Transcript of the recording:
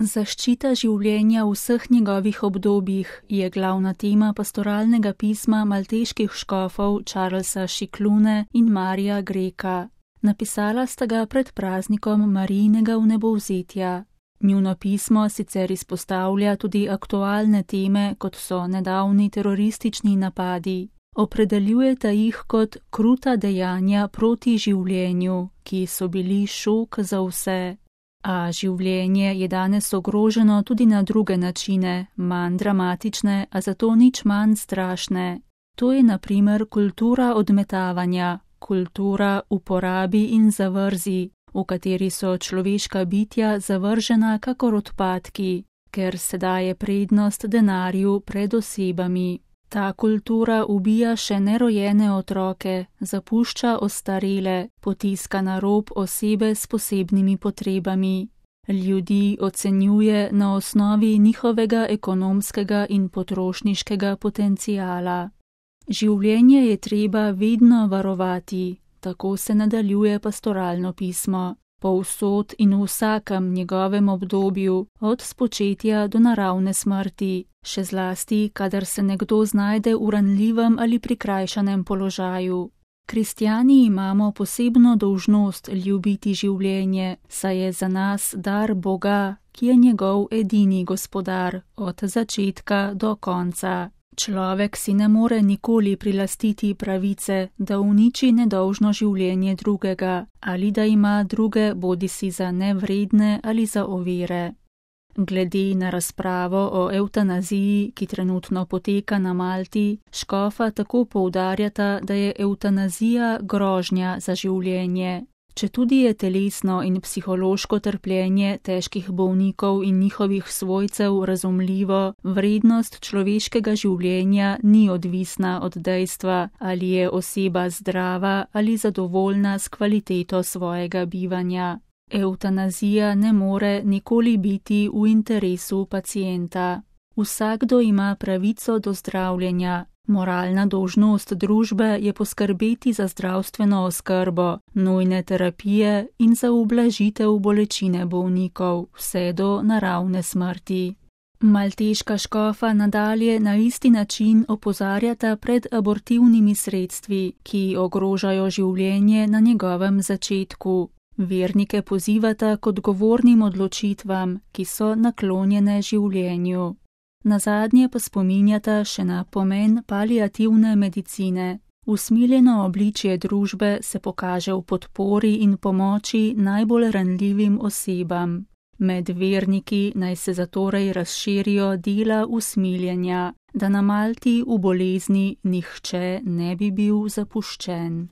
Zaščita življenja v vseh njegovih obdobjih je glavna tema pastoralnega pisma malteških škofov Charlesa Sciclune in Marija Greka. Napisala sta ga pred praznikom Marijinega vnebovzetja. Njuno pismo sicer izpostavlja tudi aktualne teme, kot so nedavni teroristični napadi. Opredeljujeta jih kot kruta dejanja proti življenju, ki so bili šok za vse. A življenje je danes ogroženo tudi na druge načine, manj dramatične, a zato nič manj strašne. To je na primer kultura odmetavanja, kultura uporabi in zavrzi, v kateri so človeška bitja zavržena kakor odpadki, ker se daje prednost denarju pred osebami. Ta kultura ubija še nerojene otroke, zapušča ostarele, potiska na rob osebe s posebnimi potrebami. Ljudi ocenjuje na osnovi njihovega ekonomskega in potrošniškega potenciala. Življenje je treba vedno varovati, tako se nadaljuje pastoralno pismo. Povsod in v vsakem njegovem obdobju, od spočetja do naravne smrti, še zlasti, kadar se nekdo znajde v ranljivem ali prikrajšanem položaju. Kristjani imamo posebno dolžnost ljubiti življenje, saj je za nas dar Boga, ki je njegov edini gospodar, od začetka do konca. Človek si ne more nikoli prilastiti pravice, da uniči nedolžno življenje drugega ali da ima druge bodisi za nevredne ali za ovire. Glede na razpravo o evtanaziji, ki trenutno poteka na Malti, škofa tako poudarjata, da je evtanazija grožnja za življenje. Četudi je telesno in psihološko trpljenje težkih bolnikov in njihovih svojcev razumljivo, vrednost človeškega življenja ni odvisna od dejstva, ali je oseba zdrava ali zadovoljna s kvaliteto svojega bivanja. Evtanazija ne more nikoli biti v interesu pacienta. Vsakdo ima pravico do zdravljenja. Moralna dolžnost družbe je poskrbeti za zdravstveno oskrbo, nujne terapije in za ublažitev bolečine bolnikov, vse do naravne smrti. Malteška škofa nadalje na isti način opozarjata pred abortivnimi sredstvi, ki ogrožajo življenje na njegovem začetku. Vernike pozivata k odgovornim odločitvam, ki so naklonjene življenju. Nazadnje pa spominjata še na pomen paliativne medicine. Usmiljeno obličje družbe se pokaže v podpori in pomoči najbolj ranljivim osebam. Med verniki naj se zatorej razširijo dela usmiljenja, da na Malti v bolezni nihče ne bi bil zapuščen.